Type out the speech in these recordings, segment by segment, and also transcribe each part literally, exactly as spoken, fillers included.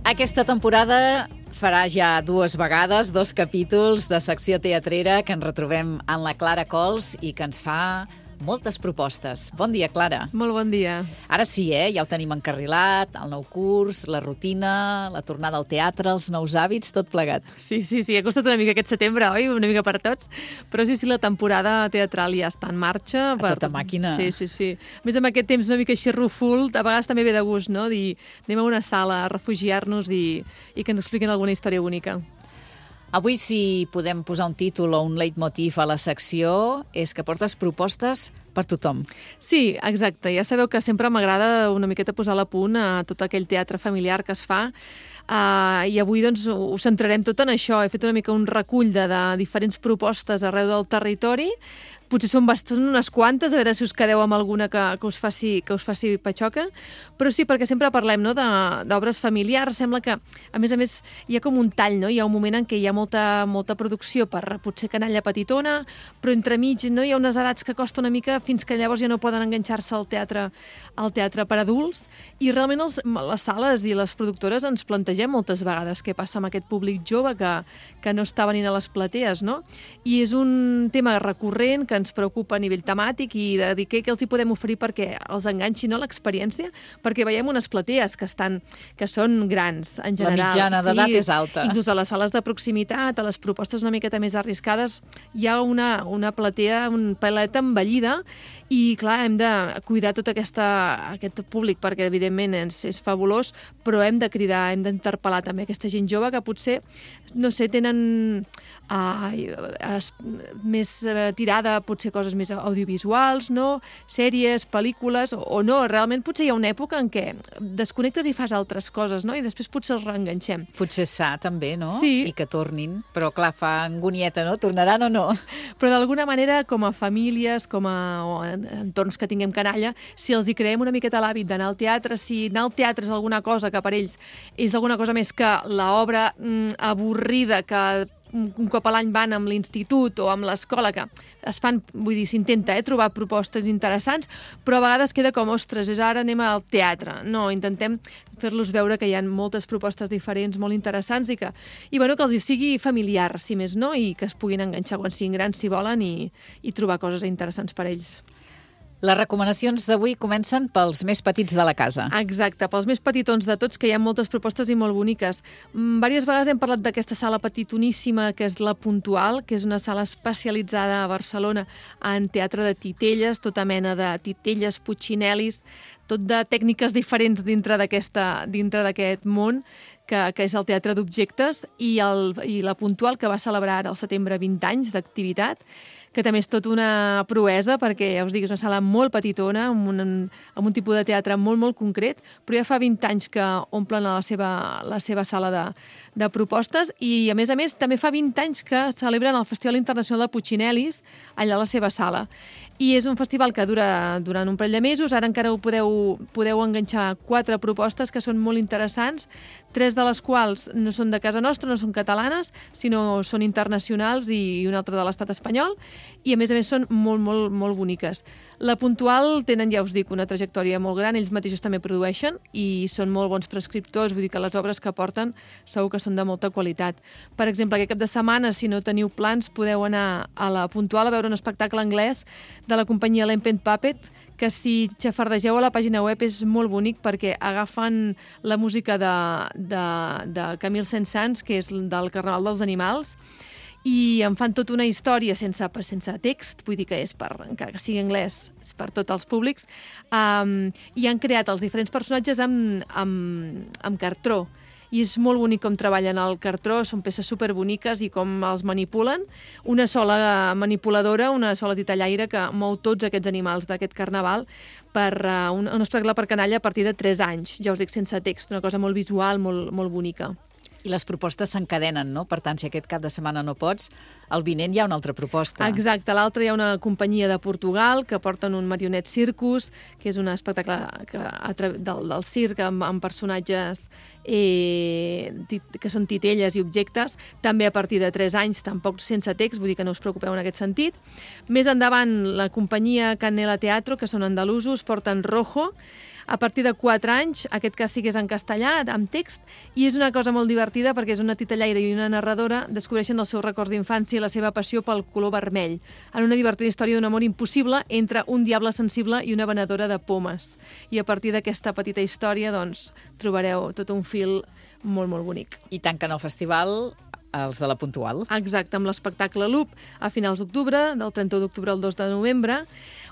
Aquesta temporada farà ja dues vegades, dos capítols de secció teatrera que ens retrobem en la Clara Cols i que ens fa moltes propostes. Bon dia, Clara. Molt bon dia. Ara sí, eh? Ja ho tenim encarrilat, el nou curs, la rutina, la tornada al teatre, els nous hàbits, tot plegat. Sí, sí, sí, ha costat una mica aquest setembre, oi? Una mica per tots. Però sí, sí, la temporada teatral ja està en marxa. A per... tota màquina. Sí, sí, sí. A més, amb aquest temps una mica així ruful, a vegades també ve de gust, no? Dir, anem a una sala a refugiar-nos i, i que ens expliquin alguna història bonica. Avui, si podem posar un títol o un leitmotiv a la secció, és que portes propostes per tothom. Sí, exacte. Ja sabeu que sempre m'agrada una miqueta posar a punt a tot aquell teatre familiar que es fa. Uh, I avui doncs, ho centrarem tot en això. He fet una mica un recull de, de diferents propostes arreu del territori. Potser són bastant unes quantes, a veure si us quedeu amb alguna que, que, us, faci, que us faci patxoca. Però sí, perquè sempre parlem, no, d'obres familiars. Sembla que, a més a més, hi ha com un tall, no? Hi ha un moment en què hi ha molta, molta producció per potser canalla petitona, però entremig, no? Hi ha unes edats que costa una mica fins que llavors ja no poden enganxar-se al teatre, al teatre per adults. I realment els, les sales i les productores ens plantegem moltes vegades què passa amb aquest públic jove que, que no està venint a les platees, no? I és un tema recurrent que ens preocupa a nivell temàtic i de dir què, què els hi podem oferir perquè els enganxi, no, l'experiència, perquè veiem unes platees que estan que són grans, en general. La mitjana d'edat sí, és alta. Inclús a les sales de proximitat, a les propostes una miqueta més arriscades, hi ha una, una platea, un pelet envellida i, clar, hem de cuidar tot aquesta, aquest públic perquè, evidentment, és, és fabulós, però hem de cridar, hem d'interpel·lar també aquesta gent jove que potser, no sé, tenen uh, es, més uh, tirada, potser coses més audiovisuals, no? Sèries, pel·lícules, o, o no, realment potser hi ha una època en què desconnectes i fas altres coses, no? I després potser els reenganxem. Potser sa, també, no? Sí. I que tornin, però clar, fa angonieta, no? Tornaran o no? Però d'alguna manera, com a famílies, com a entorns que tinguem canalla, si els hi creem una miqueta l'hàbit d'anar al teatre, si anar al teatre és alguna cosa que per ells és alguna cosa més que l'obra mm, avorrida que un cop a l'any van amb l'institut o amb l'escola, que es fan, vull dir, s'intenta eh, trobar propostes interessants, però a vegades queda com, ostres, és ara anem al teatre. No, intentem fer-los veure que hi ha moltes propostes diferents, molt interessants, i que, i bueno, que els hi sigui familiar, si més no, i que es puguin enganxar quan siguin grans, si volen, i, i trobar coses interessants per a ells. Les recomanacions d'avui comencen pels més petits de la casa. Exacte, pels més petitons de tots, que hi ha moltes propostes i molt boniques. Mm, Vàries vegades hem parlat d'aquesta sala petitoníssima, que és la Puntual, que és una sala especialitzada a Barcelona en teatre de titelles, tota mena de titelles, putxinel·lis, tot de tècniques diferents dintre d'aquesta dintre d'aquest món, que, que és el teatre d'objectes, i, el, i la Puntual, que va celebrar al setembre vint anys d'activitat, que també és tot una proesa, perquè, ja us dic, és una sala molt petitona, amb un, amb un tipus de teatre molt, molt concret, però ja fa vint anys que omplen la seva, la seva sala de, de propostes, i, a més a més, també fa vint anys que celebren el Festival Internacional de Putxinel·lis allà a la seva sala. I és un festival que dura durant un parell de mesos. Ara encara ho podeu, podeu enganxar quatre propostes que són molt interessants, tres de les quals no són de casa nostra, no són catalanes, sinó són internacionals, i una altra de l'estat espanyol, i a més a més són molt, molt, molt boniques. La Puntual tenen, ja us dic, una trajectòria molt gran, ells mateixos també produeixen i són molt bons prescriptors, vull dir que les obres que porten segur que són de molta qualitat. Per exemple, aquest cap de setmana, si no teniu plans, podeu anar a la Puntual a veure un espectacle anglès de la companyia Lempent Puppet, que si xafardegeu a la pàgina web és molt bonic perquè agafen la música de, de, de Camille Saint-Saëns, que és del Carnaval dels Animals, i en fan tota una història sense, sense text, vull dir que és per, encara que sigui anglès, és per tots els públics, um, i han creat els diferents personatges amb, amb, amb cartró. I és molt bonic com treballen el cartró, són peces superboniques i com els manipulen. Una sola manipuladora, una sola titellaire que mou tots aquests animals d'aquest carnaval per uh, un, un espectacle per canalla a partir de tres anys. Ja us dic, sense text, una cosa molt visual, molt, molt bonica. I les propostes s'encadenen, no? Per tant, si aquest cap de setmana no pots, el vinent hi ha una altra proposta. Exacte, l'altre hi ha una companyia de Portugal que porten un Marionette Circus, que és un espectacle que, del, del circ amb, amb personatges eh, que són titelles i objectes, també a partir de tres anys, tampoc sense text, vull dir que no us preocupeu en aquest sentit. Més endavant, la companyia Canela Teatro, que són andalusos, porten Rojo. A partir de quatre anys, aquest càstig és en castellà, amb text, i és una cosa molt divertida perquè és una titellaire i una narradora descobreixen els seus records d'infància i la seva passió pel color vermell, en una divertida història d'un amor impossible entre un diable sensible i una venedora de pomes. I a partir d'aquesta petita història, doncs, trobareu tot un fil molt, molt bonic. I tanquen el festival els de la Puntual. Exacte, amb l'espectacle Loop a finals d'octubre, del trenta-u d'octubre al dos de novembre.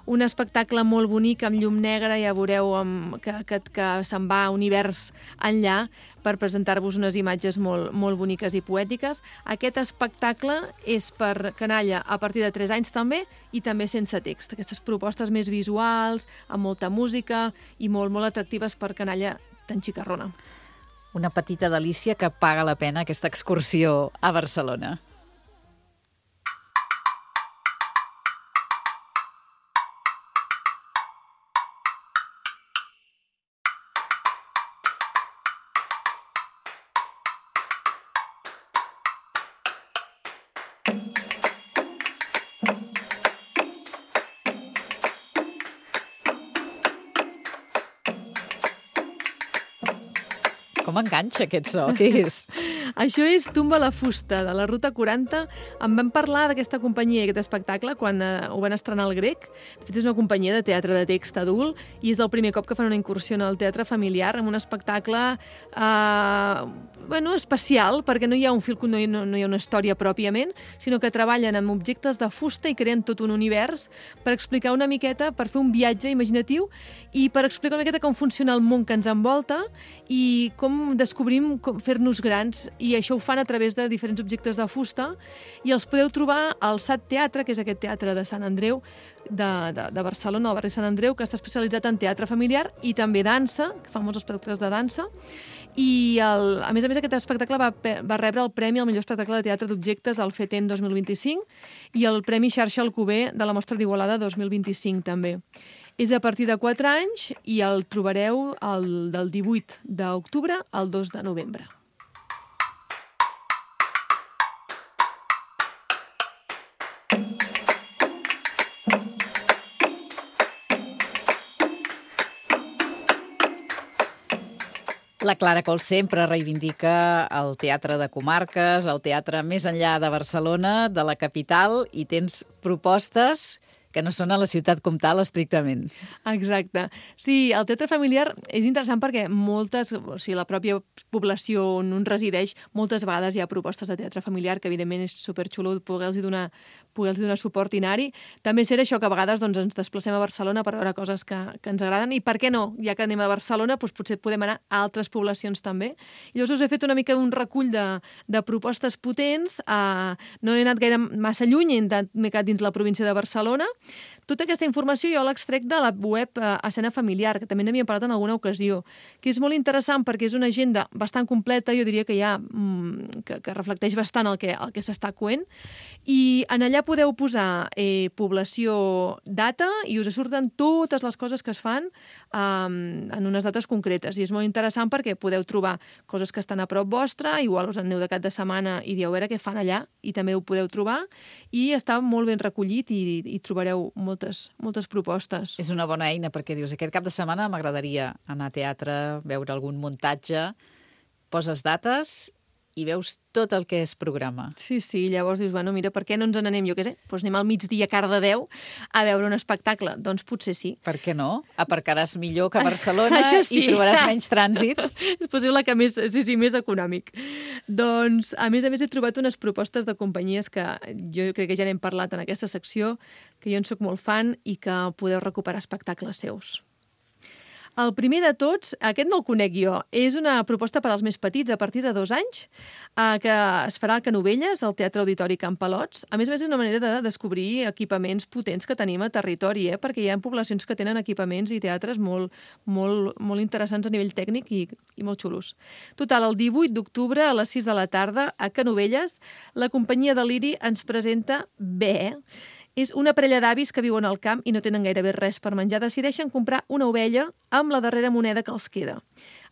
Un espectacle molt bonic, amb llum negra, ja veureu amb, que, que, que se'n va a univers enllà per presentar-vos unes imatges molt, molt boniques i poètiques. Aquest espectacle és per canalla a partir de tres anys també i també sense text. Aquestes propostes més visuals, amb molta música i molt, molt atractives per canalla tan xicarrona. Una petita delícia que paga la pena aquesta excursió a Barcelona. Com enganxa aquest so? Què és? Això és Tumba la fusta, de la Ruta quaranta. En vam parlar d'aquesta companyia i aquest espectacle quan eh, ho van estrenar al Grec. De fet, és una companyia de teatre de text adult i és el primer cop que fan una incursió en el teatre familiar amb un espectacle eh, bueno, especial, perquè no hi ha un fil, no hi, no, no hi ha una història pròpiament, sinó que treballen amb objectes de fusta i creen tot un univers per explicar una miqueta, per fer un viatge imaginatiu i per explicar una miqueta com funciona el món que ens envolta i com descobrim com fer-nos grans, i això ho fan a través de diferents objectes de fusta i els podeu trobar al S A T Teatre, que és aquest teatre de Sant Andreu de, de, de Barcelona, al barri Sant Andreu, que està especialitzat en teatre familiar i també dansa, que fa molts espectacles de dansa. I el, a més a més aquest espectacle va, va rebre el Premi al millor espectacle de teatre d'objectes al FETEN dos mil vint-i-cinc i el Premi Xarxa Alcover de la Mostra d'Igualada dos mil vint-i-cinc també. És a partir de quatre anys i el trobareu el, del divuit d'octubre al dos de novembre. La Clara Cols sempre reivindica el teatre de comarques, el teatre més enllà de Barcelona, de la capital, i tens propostes que no són a la ciutat comtal estrictament. Exacte. Sí, el teatre familiar és interessant perquè moltes, o sigui, la pròpia població on un resideix, moltes vegades hi ha propostes de teatre familiar, que evidentment és superxulo poder-los donar, poder-los donar suport i anar-hi. També ser això que a vegades doncs, ens desplacem a Barcelona per veure coses que, que ens agraden, i per què no? Ja que anem a Barcelona, doncs potser podem anar a altres poblacions també. I llavors us he fet una mica un recull de, de propostes potents. Uh, no he anat gaire massa lluny, m'he quedat dins la província de Barcelona. Tota aquesta informació jo l'extrec de la web eh, Escena Familiar, que també n'havíem parlat en alguna ocasió, que és molt interessant perquè és una agenda bastant completa, jo diria que ja mm, que, que reflecteix bastant el que, el que s'està coent, i en allà podeu posar eh, població, data, i us surten totes les coses que es fan eh, en unes dates concretes, i és molt interessant perquè podeu trobar coses que estan a prop vostra, igual us aneu de cap de setmana i dieu a veure què fan allà, i també ho podeu trobar, i està molt ben recollit i, i trobareu moltes, moltes propostes. És una bona eina perquè dius, aquest cap de setmana m'agradaria anar a teatre, veure algun muntatge, poses dates i veus tot el que es programa. Sí, sí, llavors dius, bueno, mira, per què no ens n'anem, jo què sé, doncs anem al migdia a Cardedeu a veure un espectacle. Doncs potser sí. Per què no? Aparcaràs millor que a Barcelona sí. I trobaràs menys trànsit. És possible que més, sí, sí, més econòmic. Doncs, a més a més, he trobat unes propostes de companyies que jo crec que ja n'hem parlat en aquesta secció, que jo en soc molt fan i que podeu recuperar espectacles seus. El primer de tots, aquest no el conec jo, és una proposta per als més petits a partir de dos anys, eh, que es farà a Canovelles, al Teatre Auditori Can Palots. A més a més, és una manera de descobrir equipaments potents que tenim a territori, eh, perquè hi ha poblacions que tenen equipaments i teatres molt, molt, molt interessants a nivell tècnic i, i molt xulos. Total, el divuit d'octubre a les sis de la tarda, a Canovelles, la companyia Deliri ens presenta Bé. És una parella d'avis que viuen al camp i no tenen gairebé res per menjar. Decideixen comprar una ovella amb la darrera moneda que els queda.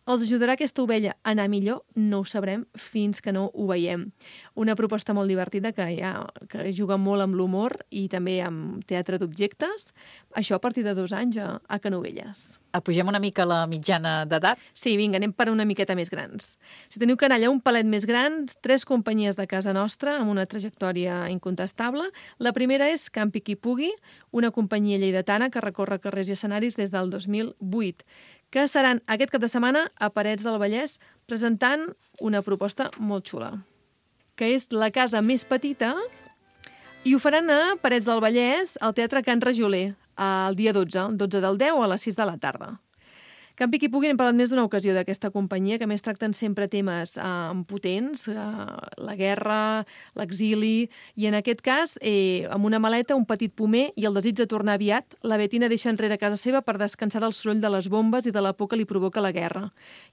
Els ajudarà aquesta ovella a anar millor? No ho sabrem fins que no ho veiem. Una proposta molt divertida que, ja, que juga molt amb l'humor i també amb teatre d'objectes. Això a partir de dos anys a, a Canovelles. Apugem una mica la mitjana d'edat? Sí, vinga, anem per una miqueta més grans. Si teniu canalla un palet més gran, tres companyies de casa nostra amb una trajectòria incontestable. La primera és Campi qui pugui, una companyia lleidatana que recorre carrers i escenaris des del dos mil vuit, que seran aquest cap de setmana a Parets del Vallès presentant una proposta molt xula, que és la casa més petita, i ho faran a Parets del Vallès, al Teatre Can Rajoler, el dia dotze, el dotze del deu a les sis de la tarda. Campi qui pugui, hem parlat més d'una ocasió d'aquesta companyia, que més tracten sempre temes eh, potents, eh, la guerra, l'exili, i en aquest cas, eh, amb una maleta, un petit pomer i el desig de tornar aviat, la Betina deixa enrere casa seva per descansar del soroll de les bombes i de la por que li provoca la guerra.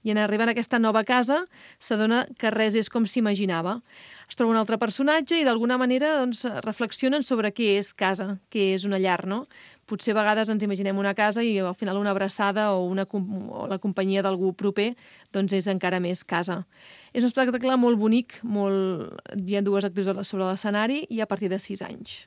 I en arribar a aquesta nova casa, s'adona que res és com s'imaginava. Es troba un altre personatge i d'alguna manera doncs, reflexionen sobre què és casa, què és una llar, no? Potser a vegades ens imaginem una casa i al final una abraçada o, una, o la companyia d'algú proper doncs és encara més casa. És un espectacle molt bonic, molt... hi ha dues actrius sobre l'escenari i a partir de sis anys.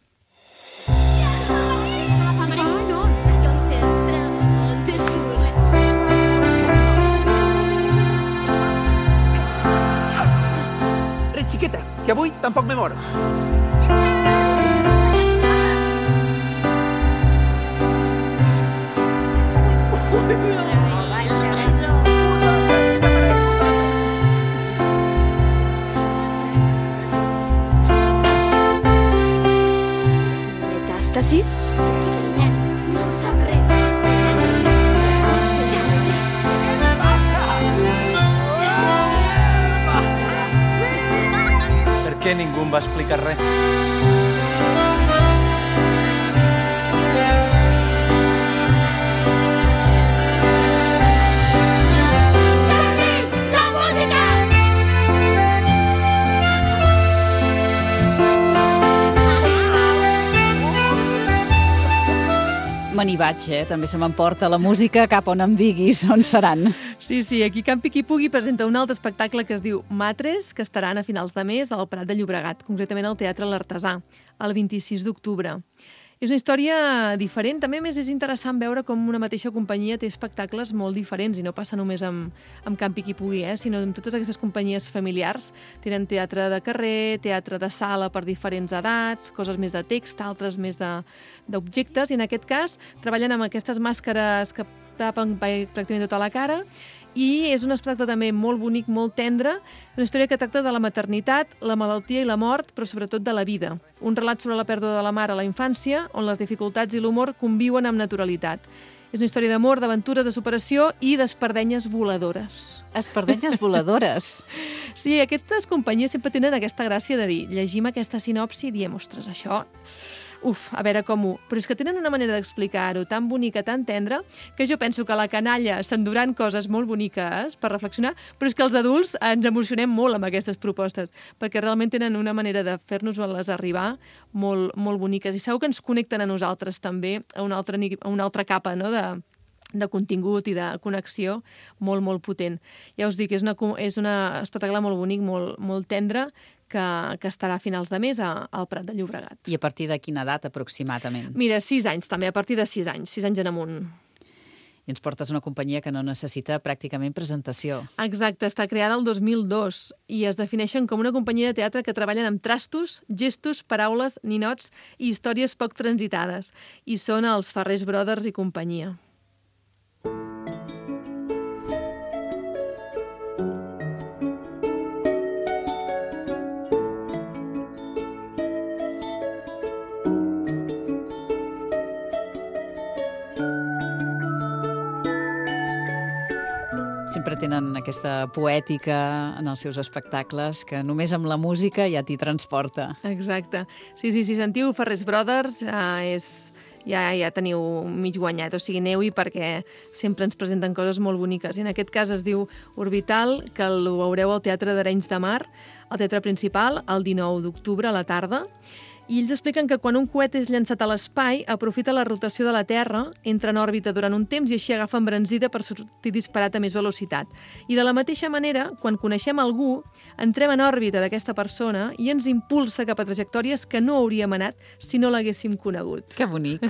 Res, xiqueta, que avui tampoc me mor. Metàstasis? No sap res. Per què ningú em va explicar res? Me n'hi vaig, eh? També se m'emporta la música cap on em diguis on seran. Sí, sí, aquí Campi qui pugui presenta un altre espectacle que es diu Matres, que estaran a finals de mes al Prat de Llobregat, concretament al Teatre L'Artesà, el vint-i-sis d'octubre. És una història diferent. També més és interessant veure com una mateixa companyia té espectacles molt diferents i no passa només amb, amb Campi qui pugui, eh? Sinó amb totes aquestes companyies familiars. Tenen teatre de carrer, teatre de sala per diferents edats, coses més de text, altres més d'objectes, i en aquest cas treballen amb aquestes màscares que tapen pràcticament tota la cara. I és un espectacle també molt bonic, molt tendre, una història que tracta de la maternitat, la malaltia i la mort, però sobretot de la vida. Un relat sobre la pèrdua de la mare a la infància, on les dificultats i l'humor conviuen amb naturalitat. És una història d'amor, d'aventures, de superació i d'espardenyes voladores. Espardenyes voladores. Sí, aquestes companyies sempre tenen aquesta gràcia de dir, llegim aquesta sinopsi i diem, ostres, això... Uf, a veure com ho... Però és que tenen una manera d'explicar-ho tan bonica, tan tendra, que jo penso que la canalla s'enduran coses molt boniques per reflexionar, però és que els adults ens emocionem molt amb aquestes propostes, perquè realment tenen una manera de fer-nos-les arribar molt, molt boniques. I segur que ens connecten a nosaltres també a una altra, a una altra capa, no?, de, de contingut i de connexió molt, molt potent. Ja us dic, és una, és una espectacle molt bonic, molt, molt tendre, que, que estarà a finals de mes a, al Prat de Llobregat. I a partir de quina edat, aproximadament? Mira, sis anys també, a partir de sis anys, sis anys en amunt. I ens portes una companyia que no necessita pràcticament presentació. Exacte, està creada el dos mil dos i es defineixen com una companyia de teatre que treballen amb trastos, gestos, paraules, ninots i històries poc transitades. I són els Ferrers Brothers i companyia. Sempre tenen aquesta poètica en els seus espectacles que només amb la música ja t'hi transporta. Exacte. Sí, sí, si sentiu Ferrers Brothers, eh, és, ja, ja teniu mig guanyat. O sigui, aneu-hi perquè sempre ens presenten coses molt boniques. I en aquest cas es diu Orbital, que el veureu al Teatre d'Arenys de Mar, al Teatre Principal, el dinou d'octubre a la tarda. I ells expliquen que quan un coet és llançat a l'espai, aprofita la rotació de la Terra, entra en òrbita durant un temps i així agafa embranzida per sortir disparat a més velocitat. I de la mateixa manera, quan coneixem algú, entrem en òrbita d'aquesta persona i ens impulsa cap a trajectòries que no hauríem anat si no l'haguéssim conegut. Que bonic.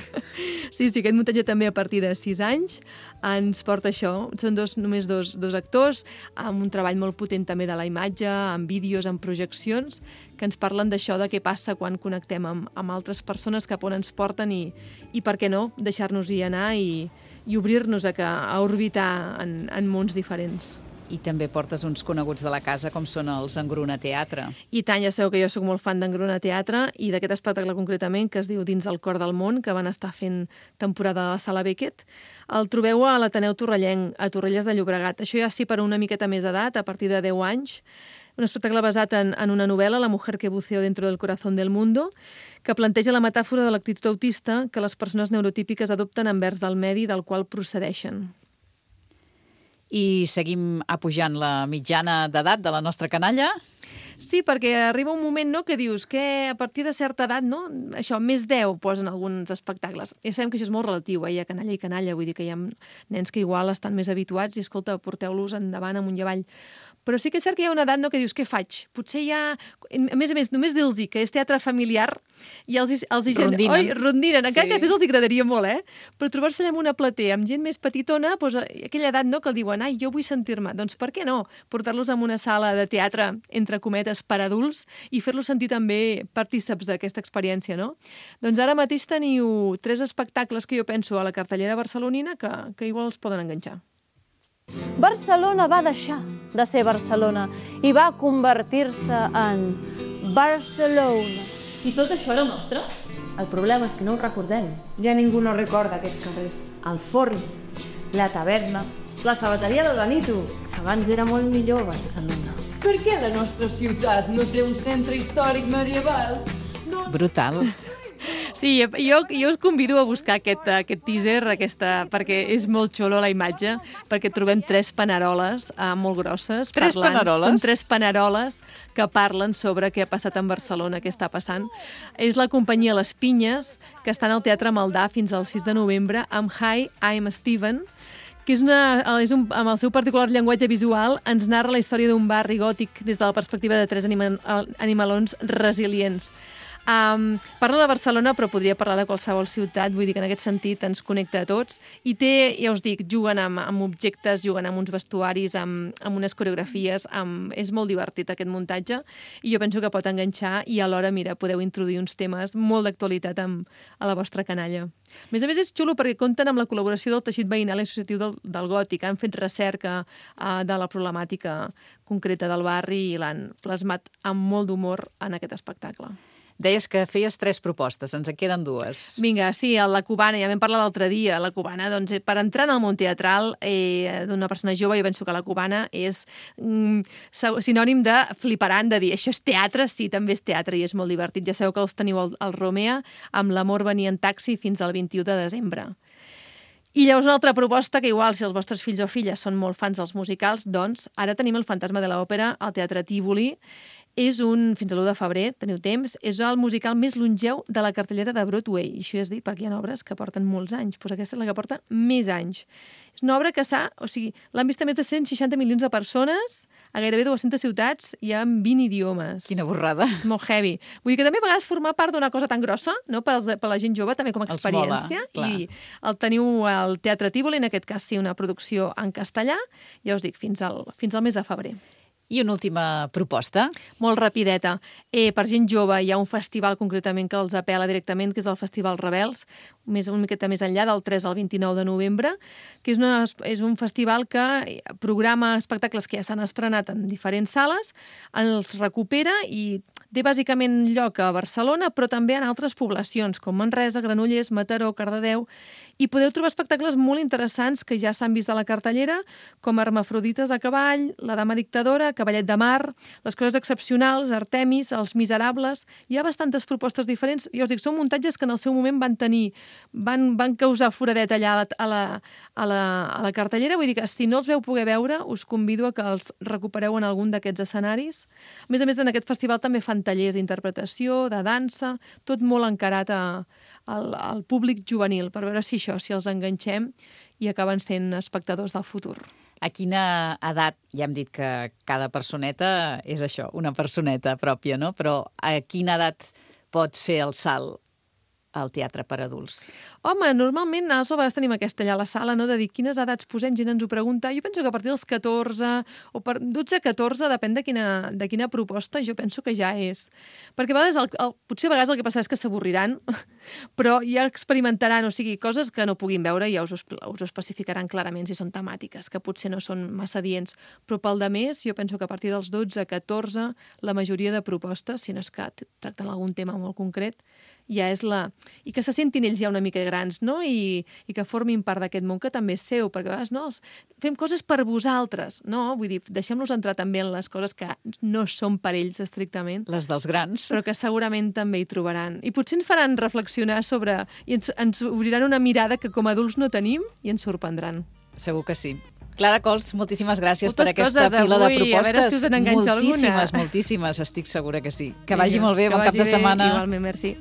Sí, sí, aquest muntatge també a partir de sis anys ens porta això. Són dos, només dos, dos actors, amb un treball molt potent també de la imatge, amb vídeos, amb projeccions, que ens parlen d'això, de què passa quan connectem amb, amb altres persones cap on ens porten i, i per què no, deixar-nos-hi anar i, i obrir-nos a, que, a orbitar en, en mons diferents. I també portes uns coneguts de la casa com són els Engruna Teatre. I tant, ja sabeu que jo sóc molt fan d'Engruna Teatre i d'aquest espectacle concretament que es diu Dins el cor del món, que van estar fent temporada a la Sala Beckett. El trobeu a l'Ateneu Torrellenc, a Torrelles de Llobregat. Això ja sí per una miqueta més edat, a partir de deu anys. Un espectacle basat en, en una novel·la, La mujer que buceó dentro del corazón del mundo, que planteja la metàfora de l'actitud autista que les persones neurotípiques adopten envers del medi del qual procedeixen. I seguim apujant la mitjana d'edat de la nostra canalla? Sí, perquè arriba un moment, no?, que dius que a partir de certa edat, no?, això, més deu posen alguns espectacles. Ja sabem que això és molt relatiu, eh? Hi ha canalla i canalla, vull dir que hi ha nens que igual estan més habituats i, escolta, porteu-los endavant amunt i avall. Però sí que és cert que hi ha una edat, no?, que dius, què faig? Potser hi ha... A més a més, només dir-los que és teatre familiar i els, els hi... Rondinen. Oi, rondinen. Encara Sí. que després els agradaria molt, eh? Però trobar-se allà amb una platea, amb gent més petitona, doncs, aquella edat, no?, que el diuen, ai, jo vull sentir-me. Doncs per què no? Portar-los a una sala de teatre, entre cometes, per adults i fer-los sentir també partíceps d'aquesta experiència, no? Doncs ara mateix teniu tres espectacles que jo penso a la cartellera barcelonina que, que igual els poden enganxar. Barcelona va deixar de ser Barcelona i va convertir-se en Barcelona. I tot això era nostre? El problema és que no ho recordem. Ja ningú no recorda aquests carrers. El forn, la taverna, la sabateria del Benito. Abans era molt millor Barcelona. Per què la nostra ciutat no té un centre històric medieval? No. Brutal. Sí, jo, jo us convido a buscar aquest, aquest teaser, aquesta, perquè és molt xulo la imatge, perquè trobem tres paneroles eh, molt grosses. Tres parlant. paneroles? Són tres paneroles que parlen sobre què ha passat en Barcelona, què està passant. És la companyia Les Pinyes, que estan al Teatre Maldà fins al sis de novembre, amb Hi, I'm Steven, que és una, és un, amb el seu particular llenguatge visual, ens narra la història d'un barri gòtic des de la perspectiva de tres anima, animalons resilients. Um, parla de Barcelona, però podria parlar de qualsevol ciutat, vull dir que en aquest sentit ens connecta a tots. I té, ja us dic, juguen amb, amb objectes, juguen amb uns vestuaris, amb, amb unes coreografies, amb... és molt divertit aquest muntatge i jo penso que pot enganxar i alhora, mira, podeu introduir uns temes molt d'actualitat amb, a la vostra canalla. A més a més, és xulo perquè compten amb la col·laboració del teixit veïnal i associatiu del, del Gòtic. Han fet recerca uh, de la problemàtica concreta del barri i l'han plasmat amb molt d'humor en aquest espectacle. Deies que feies tres propostes, ens en queden dues. Vinga, sí, la cubana, ja vam parlar l'altre dia. La cubana, doncs, per entrar en el món teatral eh, d'una persona jove, jo penso que la cubana és mm, sinònim de fliparant, de dir, això és teatre? Sí, també és teatre i és molt divertit. Ja sabeu que els teniu al, al Romea, amb L'amor venia en taxi fins al vint-i-u de desembre. I llavors una altra proposta que igual, si els vostres fills o filles són molt fans dels musicals, doncs ara tenim El fantasma de l'òpera al Teatre Tívoli. És un, fins a l'u de febrer, teniu temps, és el musical més longeu de la cartellera de Broadway. I això és dir, perquè hi ha obres que porten molts anys, doncs aquesta és la que porta més anys. És una obra que s'ha, o sigui, l'han vist a més de cent seixanta milions de persones, a gairebé dues-centes ciutats i en vint idiomes. Quina borrada. És molt heavy. Vull dir que també a vegades formar part d'una cosa tan grossa, no?, per, als, per la gent jove, també com a experiència. Els mola, I el teniu al Teatre Tívoli, en aquest cas sí, una producció en castellà, ja us dic, fins al, fins al mes de febrer. I una última proposta. Molt rapideta. Eh, per gent jove hi ha un festival concretament que els apela directament, que és el Festival Rebels, més, una miqueta més enllà, del tres al vint-i-nou de novembre, que és, una, és un festival que programa espectacles que ja s'han estrenat en diferents sales, els recupera i té bàsicament lloc a Barcelona, però també en altres poblacions, com Manresa, Granollers, Mataró, Cardedeu, I podeu trobar espectacles molt interessants que ja s'han vist a la cartellera, com Hermafrodites a cavall, La dama dictadora, Cavallet de mar, Les coses excepcionals, Artemis, Els miserables... Hi ha bastantes propostes diferents. Jo us dic, són muntatges que en el seu moment van tenir, van, van causar foradet allà a la, a, la, a, la, a la cartellera. Vull dir que si no els veu poder veure, us convido a que els recupereu en algun d'aquests escenaris. A més a més, en aquest festival també fan tallers d'interpretació, de dansa, tot molt encarat a, al, al públic juvenil, per veure si això, si els enganxem i acaben sent espectadors del futur. A quina edat, ja hem dit que cada personeta és això, una personeta pròpia, no? Però a quina edat pots fer el salt al teatre per adults? Home, normalment nosaltres a vegades tenim aquesta allà a la sala, no?, de dir quines edats posem, gent ens ho pregunta. Jo penso que a partir dels catorze o per dotze a catorze, depèn de quina, de quina proposta, jo penso que ja és. Perquè a vegades, el, el, potser a vegades el que passa és que s'avorriran, però ja experimentaran, o sigui, coses que no puguin veure i ja us ho, us ho especificaran clarament si són temàtiques, que potser no són massa adients. Però pel de més, jo penso que a partir dels dotze a catorze, la majoria de propostes, si no és que tracten algun tema molt concret, ja és la... I que se sentin ells ja una mica grans, no? I, i que formin part d'aquest món que també és seu, perquè a vegades no, fem coses per vosaltres, no? Vull dir, deixem-los entrar també en les coses que no són per ells estrictament. Les dels grans. Però que segurament també hi trobaran. I potser ens faran reflexionar sobre... I ens, ens obriran una mirada que com a adults no tenim i ens sorprendran. Segur que sí. Clara Cols, moltíssimes gràcies Moltes per aquesta coses pila avui, de propostes. A veure si us n'enganxa alguna. Moltíssimes, moltíssimes, estic segura que sí. Que vagi molt bé, que bon cap vagi de setmana. Bé, igualment, merci.